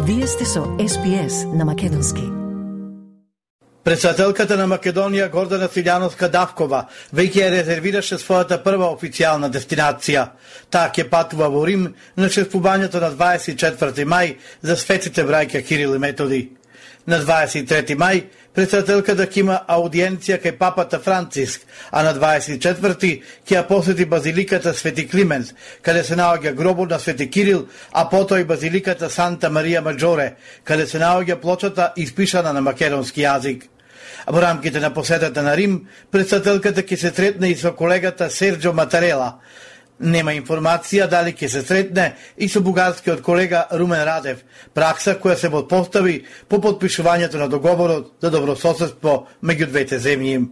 Вие сте со SPS на македонски. Председателката на Македонија Гордана Силјановска-Давкова веќе ја резервираше својата прва официјална дестинација. Таа ќе патува во Рим на чествувањето на 24 мај за светите браќа Кирил и Методи. На 23 мај председателката ќе има аудиенција кај папата Франциск, а на 24 ќе ја посети базиликата Свети Климент, каде се наоѓа гробот на Свети Кирил, а потоа и базиликата Санта Марија Маджоре, каде се наоѓа плочата испишана на македонски јазик. Во рамките на посетата на Рим, председателката ќе се сретне и со колегата Серджо Матарела. Нема информација дали ќе се сретне и со бугарскиот колега Румен Радев, пракса која се подпостави по подпишувањето на договорот за добрососедство меѓу двете земји.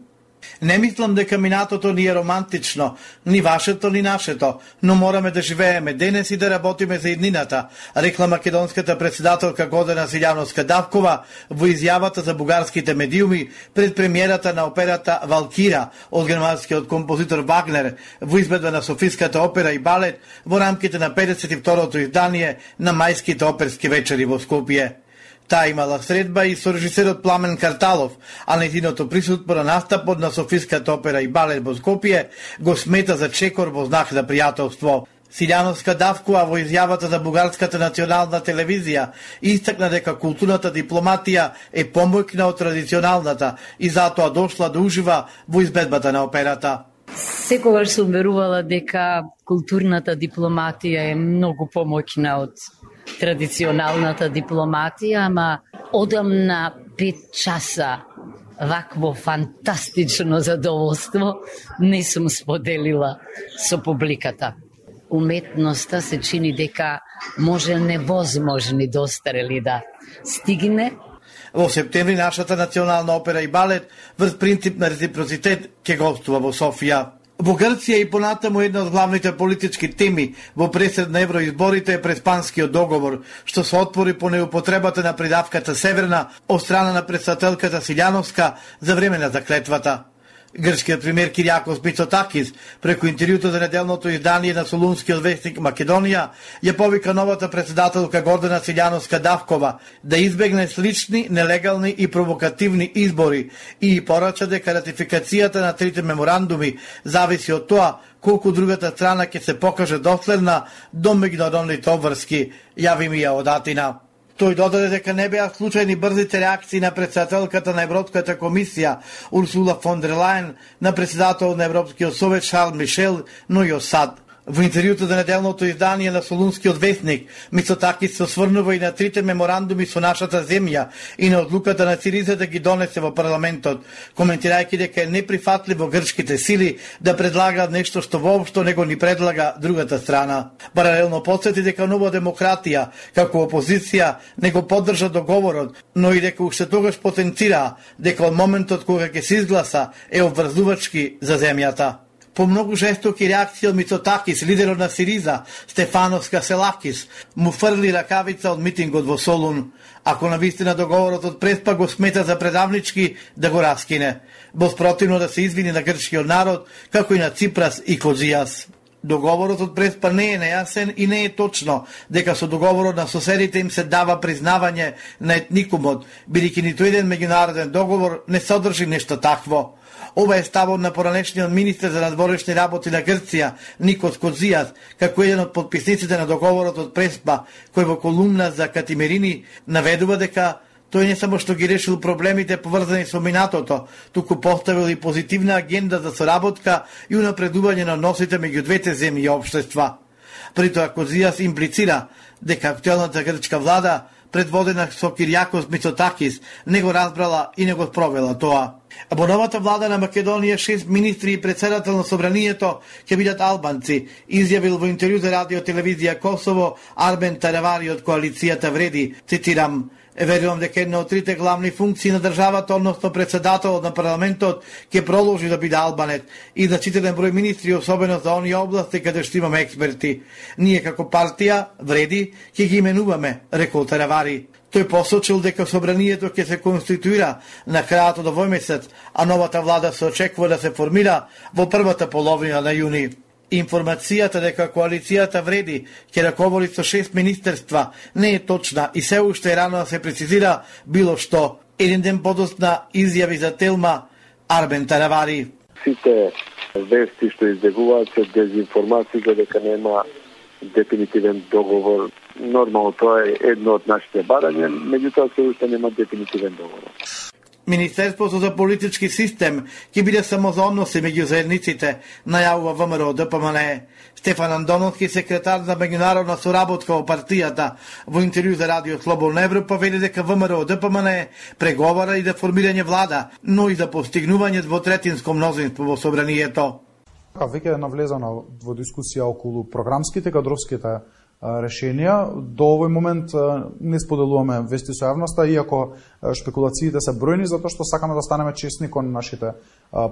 Не мислам дека минатото ни е романтично, ни вашето, ни нашето, но мораме да живееме денес и да работиме за иднината, рекла македонската председателка Гордана Силјановска-Давкова во изјавата за бугарските медиуми пред премиерата на операта Валкира од германскиот композитор Вагнер во избедба на Софиската опера и балет во рамките на 52-то издание на мајските оперски вечери во Скопје. Таа имала средба и со режисерот Пламен Карталов, а нејзиното присуство на настапот на Софиската опера и балет во Скопје го смета за чекор во знак на пријателство. Силјановска-Давкова во изјавата за бугарската национална телевизија истакна дека културната дипломатија е помојна од традиционалната и затоа дошла да ужива во избедбата на операта. Секогаш сум верувала дека културната дипломатија е многу помојна од традиционалната дипломатија, ама одам на 5 часа вакво фантастично задоволство не сум споделила со публиката. Уметноста се чини дека може невозможни достарели да стигне. Во септември нашата национална опера и балет врз принцип на реципроцитет ќе гостува во Софија. Во Грција и понатаму една од главните политички теми во пресед на евроизборите е преспанскиот договор, што се отпори по неупотребата на придавката Северна од страна на председателката Силјановска за време на заклетвата. Грчкиот премиер Кириакос Мицотакис преку интервјуто за неделното издание на Солунскиот вестник Македонија ја повика новата председателка Гордана Силјановска-Давкова да избегне слични, нелегални и провокативни избори и порача дека ратификацијата на трите меморандуми зависи од тоа колку другата страна ќе се покаже доследна до меѓународните обврски, јави ми ја од Атина. Тој додаде дека не беа случајни брзите реакции на председателката на Европската комисија Урсула фон дер Лајен, на председател на Европскиот совет Шарл Мишел, но и од САД. Во интервјуто за неделното издание на Солунскиот вестник, Мицотакис се осврнува и на трите меморандуми со нашата земја и на одлуката на Сириза да ги донесе во парламентот, коментирајќи дека е неприфатливо грчките сили да предлагаат нешто што воопшто не го ни предлага другата страна. Паралелно подсети дека Нова демократија, како опозиција, не го поддржа договорот, но и дека уште тогаш потенцираа дека од моментот кога ќе се изгласа е обврзувачки за земјата. По многу жестоки реакции од Мицотакис, лидерот на Сириза, Стефанос Каселакис, му фрли ракавица од митингот во Солун. Ако навистина договорот од Преспа го смета за предавнички, да го раскине. Во спротивно да се извини на грчкиот народ, како и на Ципрас и Козијас. Договорот од Преспа не е нејасен и не е точно дека со договорот на соседите им се дава признавање на етникумот, бидејќи ниту еден меѓународен договор не содржи нешто такво. Ова е ставот на поранешниот министер за надворешни работи на Грција, Никос Козијас, како еден од подписниците на договорот од Преспа, кој во колумна за Катимерини наведува дека тој не само што ги решил проблемите поврзани со минатото, туку поставил и позитивна агенда за соработка и унапредување на односите меѓу двете земји и општества. При тоа Козијас имплицира дека актуелната грчка влада, предводена со Кириакос Мицотакис, не го разбрала и не го спровела тоа. Во новата влада на Македонија 6 министри и председател на собранието ќе бидат албанци, изјавил во интервју за радио телевизија Косово Арбен Таравари од коалицијата Вреди, цитирам: "Верувам дека една од трите главни функции на државата, односно председателот на парламентот, ќе продолжи да биде албанец и значителен број министри, особено за оние области каде што имаме експерти. Ние како партија Вреди ќе ги именуваме", рекол Таравари. Тој посочил дека собранието ќе се конституира на крајот од овој месец, а новата влада се очекува да се формира во првата половина на јуни. Информацијата дека коалицијата вреди ќе раководи со 6 министерства не е точна и се уште е рано да се прецизира било што. Еден ден подосна изјави за Телма Арбен Таравари. Сите вести што избегуваат се дезинформации дека нема дефинитивен договор. Нормално тоа е едно од нашите барања, меѓутоа се уште нема дефинитивен договор. Министерството за политички систем ќе биде само за односи меѓу заедниците, најавува ВМРО ДПМН. Стефан Андоновски, секретар за меѓународна соработка во партијата, во интервју за Радио Слободна Европа вели дека ВМРО ДПМН преговара и за формирање влада, но и за постигнување двотретинско мнозинство во собранието. Веќе е навлезано во дискусија околу програмските, кадровските решенија. До овој момент не споделуваме вести со јавноста, иако шпекулациите се бројни, затоа што сакаме да станеме честни кон нашите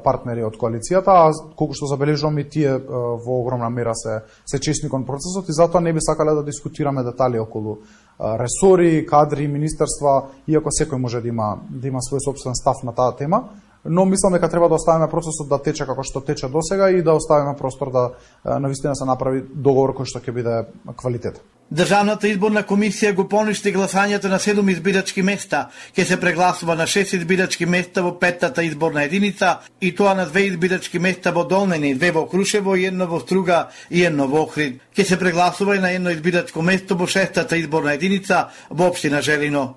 партнери од коалицијата, а колку што забележувам и тие во огромна мера се честни кон процесот и затоа не би сакале да дискутираме детали околу ресори, кадри, министерства, иако секој може да има свој собствен став на таа тема. Но мислам дека треба да оставиме процесот да тече како што тече досега и да оставиме простор да навистина се направи договор кој што ќе биде квалитет. Државната изборна комисија го поништи гласањето на 7 избирачки места. Ќе се прегласува на 6 избирачки места во 5-та изборна единица и тоа на 2 избирачки места во Долнени, 2 во Крушево и 1 во Струга и 1 во Охрид. Ќе се прегласува и на 1 избирачко место во 6-та изборна единица во општина Желино.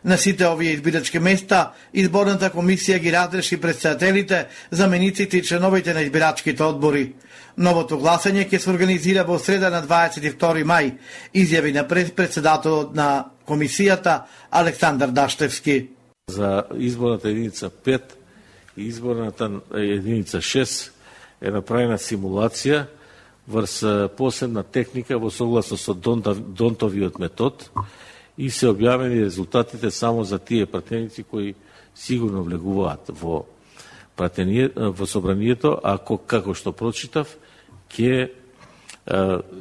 На сите овие избирачки места, изборната комисија ги разреши председателите, замениците и членовите на избирачките одбори. Новото гласање ќе се организира во среда на 22 мај, изјави на председателот на комисијата Александар Даштевски. За изборната единица 5 и изборната единица 6 е направена симулација врз посебна техника во согласно со Донтовиот метод, и се објавени резултатите само за тие пратеници кои сигурно влегуваат во собранието, а како што прочитав, ќе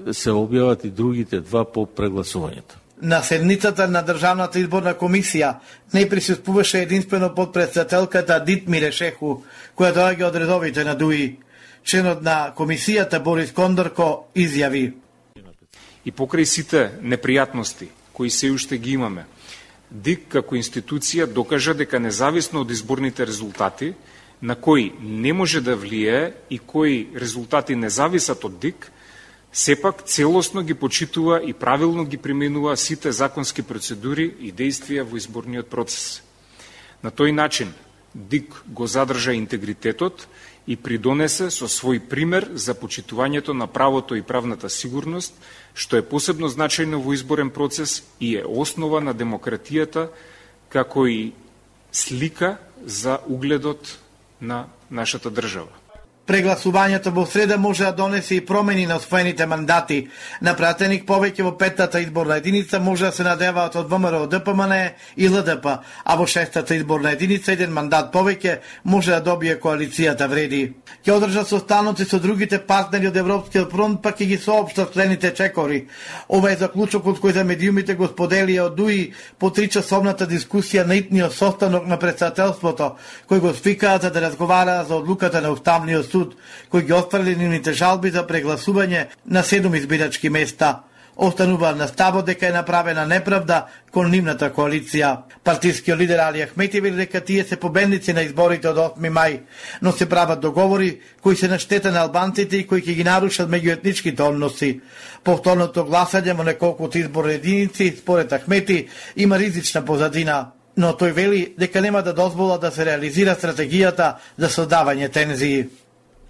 се објават и другите два по прегласувањето. На седницата на Државната изборна комисија не присуствуваше единствено подпредседателката Дитмире Шеху, која доаѓа од редовите на ДУИ. Членот на комисијата Борис Кондорко изјави: И покрај сите непријатности кои се уште ги имаме, ДИК како институција докажа дека независно од изборните резултати, на кои не може да влијае и кои резултати не зависат од ДИК, сепак целосно ги почитува и правилно ги применува сите законски процедури и действија во изборниот процес. На тој начин ДИК го задржа интегритетот и придонесе со свој пример за почитувањето на правото и правната сигурност, што е посебно значајно во изборен процес и е основа на демократијата, како и слика за угледот на нашата држава. Прегласувањето во среда може да донесе и промени на освоените мандати. На пратеник повеќе во 5-та изборна единица може да се надеваат од ВМРО ДПМН и ЛДП, а во 6-та изборна единица еден мандат повеќе може да добие коалицијата вреди. Ќе одржат состаноци со другите партнери од Европскиот фронт, па ќе ги соопштат следните чекори. Ова е заклучокот кој за медиумите го споделија од ДУИ по 3-часовната дискусија на итниот состанок на председателството, кој го свикаат за да разговараат за одлуката на Уставниот суд, кој ги отфрли нивните жалби за прегласување на 7 избирачки места. Останува на ставот дека е направена неправда кон нивната коалиција. Партискиот лидер Али Ахмети вели дека тие се победници на изборите од 8 мај, но се прават договори кои се на штета на албанците и кои ќе ги нарушат меѓуетничките односи. Повторното гласање во неколку изборни единици, според Ахмети, има ризична позадина, но тој вели дека нема да дозвола да се реализира стратегијата за создавање тензии.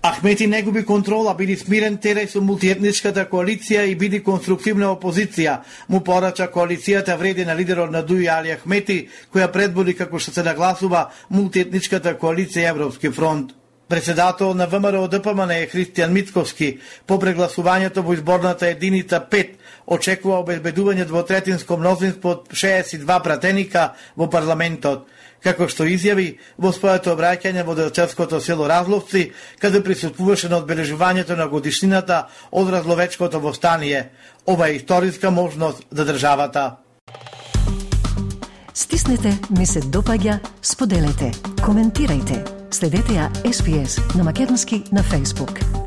Ахмети не губи контрола, биди смирен терај со мултиетничката коалиција и биди конструктивна опозиција, му порача коалицијата вреди на лидерот на ДУИ Али Ахмети, која предводи како што се нагласува мултиетничката коалиција Европски фронт. Председател на ВМРО ДПМН е Христијан Мицковски. По прегласувањето во изборната единица 5 очекува обезбедување двотретинско мнозинство од 62 пратеника во парламентот. Како што изјави во своето обраќање во Делчевското село Разловци, каде присуствуваше на одбележувањето на годишнината од Разловечкото востание. Ова е историска можност за државата. Стиснете, ми се допаѓа, споделете, коментирајте. Следете ја SPS на Македонски на Facebook.